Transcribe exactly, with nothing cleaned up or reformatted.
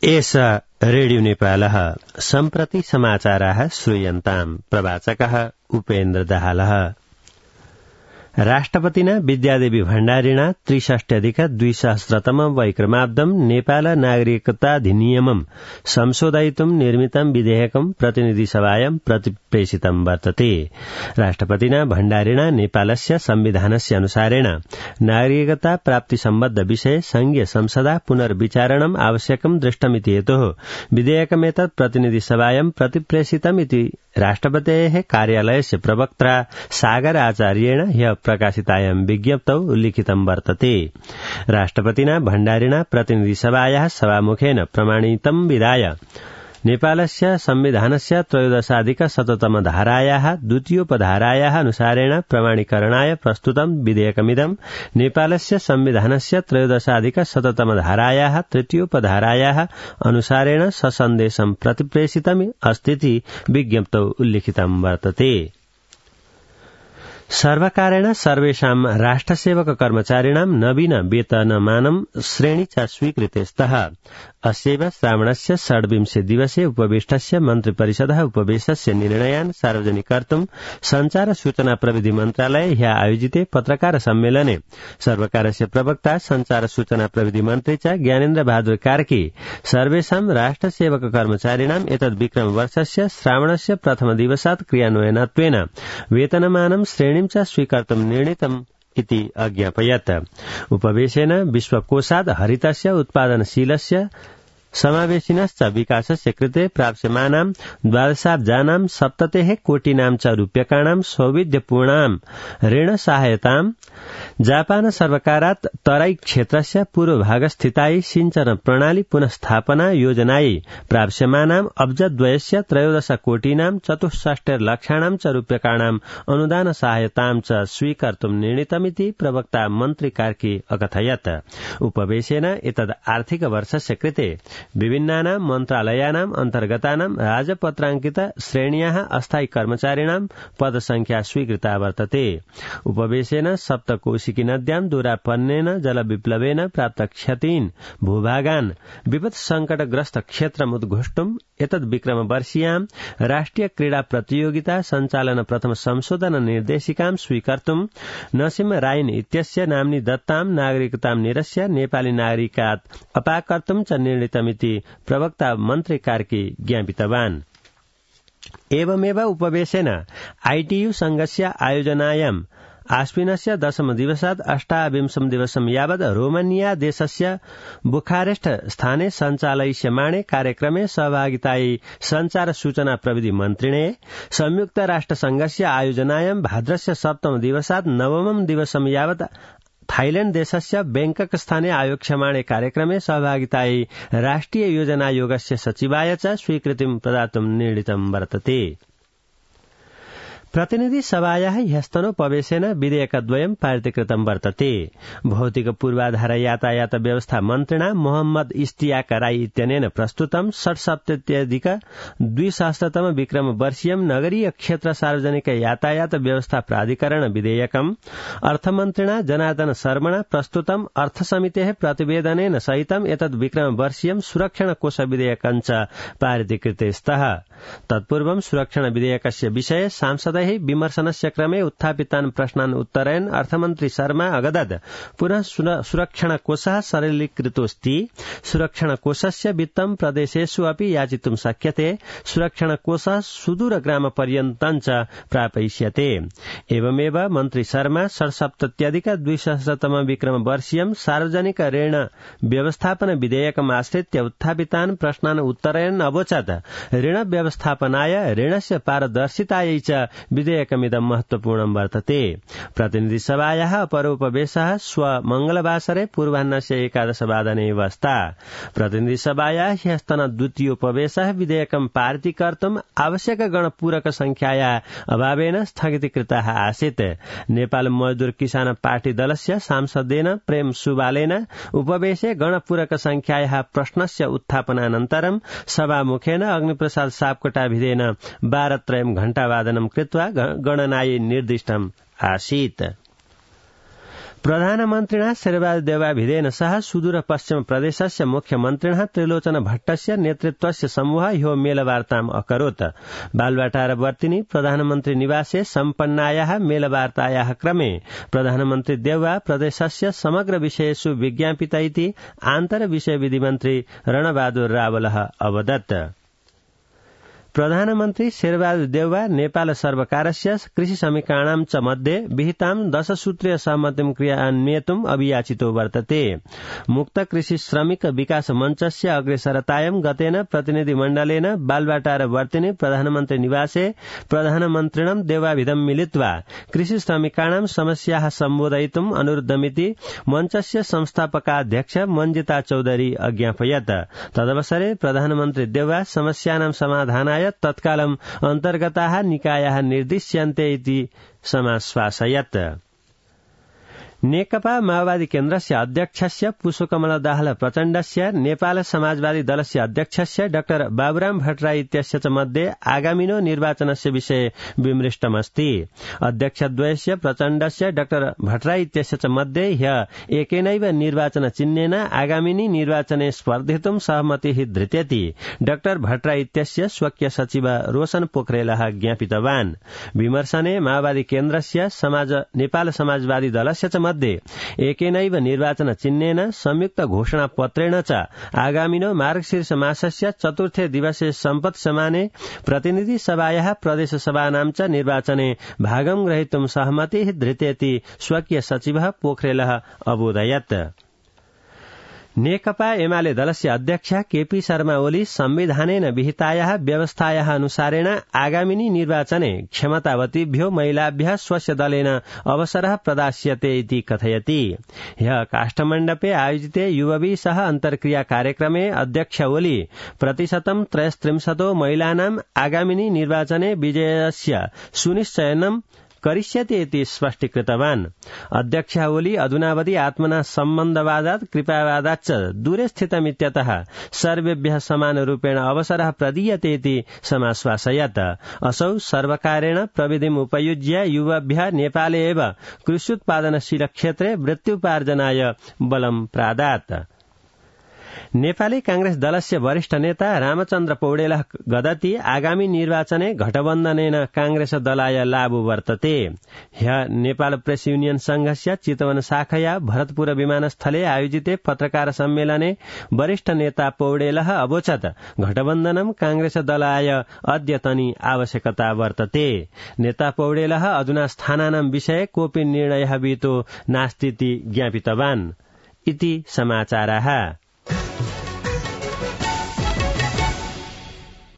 एष रेडियो नेपालः सम्प्रति समाचाराः श्रूयन्ताम् प्रवाचकः उपेन्द्र दाहालः। राष्ट्रपतिना विद्यादेवी भण्डारिणा त्रिषष्ट्यधिक द्विसहस्रतम वैक्रमाब्दं नेपाल नागरिकताधिनियमं संशोधयितुं निर्मितं विधेयकं प्रतिनिधिसभायां प्रतिप्रेषितं वर्तते। राष्ट्रपतिना भण्डारिणा नेपालस्य संविधानस्य अनुसारेण नागरिकता प्राप्ति सम्बद्ध विषये संघीय संसदा पुनर्विचारणम् आवश्यकं दृष्टमिति हेतोः विधेयकमेतत् प्रतिनिधिसभायां प्रतिप्रेषितमिति राष्ट्रपतेः कार्यालयस्य प्रवक्त्रा सागर आचार्येण ह्यः प्रकाशितायां विज्ञप्तौ उल्लिखितं वर्तते। राष्ट्रपतिना भण्डारिणा प्रतिनिधिसभायाः सभामुखेन प्रमाणितं विधाय नेपालस्य संविधानस्य त्रयोदशाधिक शततम धारायाः द्वितीयोपधारायाः अनुसारेण प्रमाणीकरणाय प्रस्तुतं विधेयकमिदं नेपालस्य संविधानस्य त्रयोदशाधिक शततम धारायाः तृतीयोपधारायाः अनुसारेण ससन्देशं प्रतिप्रेषितम् अस्तीति विज्ञप्तौ उल्लिखितं वर्तते। सर्वकारेण सर्वेषां राष्ट्रसेवक कर्मचारिणां नवीन वेतनमानं श्रेणी च स्वीकृते स्तः। अस्यैव श्रावणस्य षड्विंशे दिवसे उपवेष्टस्य मन्त्रिपरिषदः उपवेशस्य निर्णयान् सार्वजनिकर्तुं संचार सूचना प्रविधि मन्त्रालये ह्यः आयोजिते पत्रकार सम्मेलने सर्वकारस्य प्रवक्ता संचार सूचना प्रविधि मन्त्री च ज्ञानेन्द्र बहादुर कार्की सर्वेषां राष्ट्रसेवक कर्मचारिणाम् एतद् विक्रम वर्षस्य श्रावणस्य प्रथम दिवसात् क्रियान्वयनत्वेन वेतनमानं श्रेणी च स्वीकर्तुं निर्णीतम् इति अज्ञापयत्। उपवेशेन विश्वकोशात् हरितस्य उत्पादनशीलस्य समावेशिनश्च विकासस्य कृते प्राप्स्यमानां द्वादशाब्जानां सप्ततेः कोटिनां च रूप्यकाणां सौविध्यपूर्णां ऋणसहायतां जापान सर्वकारात् तराई क्षेत्रस्य पूर्वभागस्थितायै सिंचन प्रणाली पुनस्थापना योजनायै प्राप्स्यमानां अब्जद्वयस्य त्रयोदश कोटिनां चतुष्षष्टिर्लक्षाणां च रूप्यकाणां अनुदान सहायतां च स्वीकर्तुं निर्णीतमिति प्रवक्ता मन्त्री कार्की अकथयत्। उपवेशेन एतद् आर्थिक वर्षस्य कृते विभिन्नानां मन्त्रालयानां अन्तर्गतानां राजपत्राङ्कित श्रेण्याः अस्थायी कर्मचारिणां पदसंख्या स्वीकृता वर्तते। उपवेशेन सप्तकोशिकी नद्यां दूरापन्नेन जलविप्लवेन प्राप्त क्षतीन् भूभागान् विपत् संकटग्रस्त क्षेत्रम् उद्घोष्टुम् एतद् विक्रम वर्षीयां राष्ट्रिय क्रीडा प्रतियोगिता संचालन प्रथम संशोधन निर्देशिकां स्वीकर्तुं नसीम रायन इत्यस्य नाम्नि दत्तां नागरिकतां निरस्य नेपाली नागरिकात् अपाकर्तुं च निर्णीतमिति प्रवक्ता मन्त्री कार्की ज्ञापितवान्। एवमेव उपवेशेन आईटीयू संघस्य आयोजनायाम् आश्विनस्य दशम दिवसात् अष्टाविंशं दिवसं यावत् रोमानिया देशस्य बुखारेस्ट स्थाने सञ्चालयिष्यमाणे कार्यक्रमे सहभागितायै संचार सूचना प्रविधि मन्त्रिणे संयुक्त राष्ट्र संघस्य आयोजनायां भाद्रस्य सप्तम दिवसात् नवमं दिवसं यावत् थाईलैण्ड देशस्य बैंकक स्थाने आयोक्ष्यमाणे कार्यक्रमे सहभागितायै राष्ट्रिय योजनायोगस्य सचिवाय च स्वीकृतिं प्रदातुं निर्णीतं वर्तते। प्रतिनिधि सभायाः ह्यस्तनोपवेशेन विधेयकद्वयं पारितीकृतं वर्तते। भौतिक पूर्वाधार यातायात व्यवस्था मन्त्रिणा मोहम्मद इश्तियाक राई इत्यनेन प्रस्तुतं षट्सप्तत्यधिक द्विसहस्रतम विक्रम वर्षीयं नगरीय क्षेत्र सार्वजनिक यातायात व्यवस्था प्राधिकरण विधेयकम् अर्थमन्त्रिणा जनार्दन शर्मणा प्रस्तुतं अर्थसमितेः प्रतिवेदनेन सहितं एतद् विक्रम वर्षीयं सुरक्षण कोष विधेयकं च पारितीकृते स्तः। तत्पूर्वं सुरक्षण विधेयकस्य विषये सांसदैः विमर्शनस्य क्रमे उत्थापितान् प्रश्नान् उत्तरयन् अर्थमन्त्री शर्मा अगदत् पुनः सुरक्षण कोषः सरलीकृतोऽस्ति। सुरक्षण कोषस्य वित्तं प्रदेशेषु अपि याचितुं शक्यते। सुरक्षण कोषः सुदूर ग्राम पर्यन्तं च प्रापयिष्यते। एवमेव मन्त्री शर्मा षट्सप्तत्यधिक द्विसहस्रतम विक्रम वर्षीयं सार्वजनिक ऋण व्यवस्थापन विधेयकम् आश्रित्य उत्थापितान् प्रश्नान् उत्तरयन् अवोचत् ऋण व्यवस्थापनाय ऋणस्य पारदर्शितायै च विधेयकमिदं महत्वपूर्णं वर्तते। प्रतिनिधि सभायाः अपरोपवेशः श्व मंगलवासरे पूर्वाह्नस्य एकादशवादने वस्ता। प्रतिनिधि सभायाः ह्यस्तन द्वितीयोपवेशः विधेयकं पारितीकर्तुम् आवश्यक गणपूरक संख्यायाः अभावेन स्थगितीकृतः आसीत्। नेपाल मजदूर किसान पार्टी दलस्य सांसदेन प्रेम सुवालेन उपवेशे गणपूरक संख्यायाः प्रश्नस्य उत्थापनानन्तरं सभामुखेन अग्निप्रसाद सापकोटाभिधेन बारत्रयं घण्टावादनं कृत्वा गणनायै निर्दिष्टम् आसीत्। प्रधानमन्त्रिणा शेरबहादुर देवाभिधेन सह सुदूर पश्चिम प्रदेशस्य मुख्यमन्त्रिणः त्रिलोचन भट्टस्य नेतृत्वस्य समूह ह्यो मेलवार्ताम् अकरोत्। बालुवाटार वर्तिनी प्रधानमन्त्री निवासे सम्पन्नायाः मेलवार्तायाः क्रमे प्रधानमन्त्री देउवा प्रदेशस्य समग्र विषयेषु विज्ञापिता इति आन्तर विषय विधि मन्त्री रणबहादुर रावलः अवदत्। प्रधानमन्त्री शेरबहादुर देउवा नेपाल सर्वकारस्य कृषि समीकरणां च मध्ये विहितां दशसूत्रीय सहमतिं क्रियान्वयितुम् अभियाचितो वर्तते। मुक्त कृषि श्रमिक विकास मञ्चस्य अग्रेसरतायां गतेन प्रतिनिधिमण्डलेन बालुवाटार वर्तिनी प्रधानमन्त्री निवासे प्रधानमन्त्रिणं देवाभिधं मिलित्वा कृषि श्रमिकाणां समस्याः सम्बोधयितुम् अनुरुद्धमिति मञ्चस्य संस्थापकाध्यक्ष मञ्जिता चौधरी अज्ञापयत्। तदवसरे प्रधानमन्त्री देउवा समस्यानां समाधानाय तत्कालम् अन्तर्गताः निकायाः निर्दिश्यन्ते इति समाश्वासयत्। नेकपा माओवादी केन्द्रस्य अध्यक्षस्य पुष्पकमल दाहाल प्रचण्डस्य नेपाल समाजवादी दलस्य अध्यक्षस्य डाक्टर बाबुराम भट्टराई इत्यस्य च मध्ये आगामिनो निर्वाचनस्य विषये विमृष्टमस्ति। अध्यक्षद्वयस्य प्रचण्डस्य डाक्टर भट्टराई इत्यस्य च मध्ये ह्य एकेनैव निर्वाचन चिह्नेन आगामिनि निर्वाचने स्पर्धितुं सहमतिः धृत्यति डाक्टर भट्टराई इत्यस्य स्वकीय सचिव रोशन पोखरेलः ज्ञापितवान्। विमर्शने माओवादी केन्द्रस्य समाज नेपाल समाजवादी दलस्य च मध्ये एकेनैव निर्वाचन चिह्नेन संयुक्त घोषणा पत्रेण च आगामिनो मार्गशीर्ष मासस्य चतुर्थे दिवसे सम्पत् समाने प्रतिनिधि सभायाः प्रदेश सभानां च निर्वाचने भागं ग्रहीतुं सहमतिः धृतेति स्वकीय सचिवः पोखरेलः अबोधयत्। नेकपा एमाले दलस्य अध्यक्ष केपी शर्मा ओली संविधानेन विहितायाः व्यवस्थायाः अनुसारेण आगामिनि निर्वाचने क्षमतावतीभ्यो महिलाभ्यः स्वस्य दलेन अवसरः प्रदास्यते इति कथयति। ह्यः काष्ठमण्डपे आयोजिते युवभिः सह अन्तर्क्रिया कार्यक्रमे अध्यक्ष ओली प्रतिशतं त्रयस्त्रिंशतो महिलानाम् आगामिनि निर्वाचने विजयस्य सुनिश्चयनं करिष्यति इति स्पष्टीकृतवान्। अध्यक्ष ओली अधुनावधि आत्मना सम्बन्धवादात् कृपावादाच्च दूरे स्थितमित्यतः सर्वेभ्यः समानरूपेण अवसरः प्रदीयते इति समाश्वासयत्। असौ सर्वकारेण प्रविधिम् उपयुज्य युवभ्यः नेपाले एव कृष्युत्पादनशील क्षेत्रे वृत्त्युपार्जनाय बलं प्रादात्। नेपाली कांग्रेस दलस्य वरिष्ठ नेता रामचन्द्र पौडेलः गदति आगामी निर्वाचने गठबन्धनेन कांग्रेस दलाय लाभ वर्तते। ह्यः नेपाल प्रेस युनियन संघस्य चितवन शाखया भरतपुर विमानस्थले आयोजिते पत्रकार सम्मेलने वरिष्ठ नेता पौडेलः अवोचत् गठबन्धनं कांग्रेस दलाय अद्यतनी आवश्यकता वर्तते। नेता पौडेलः अधुना स्थानानां विषये कोऽपि निर्णयः विहितो नास्तीति ज्ञापितवान् इति समाचारः।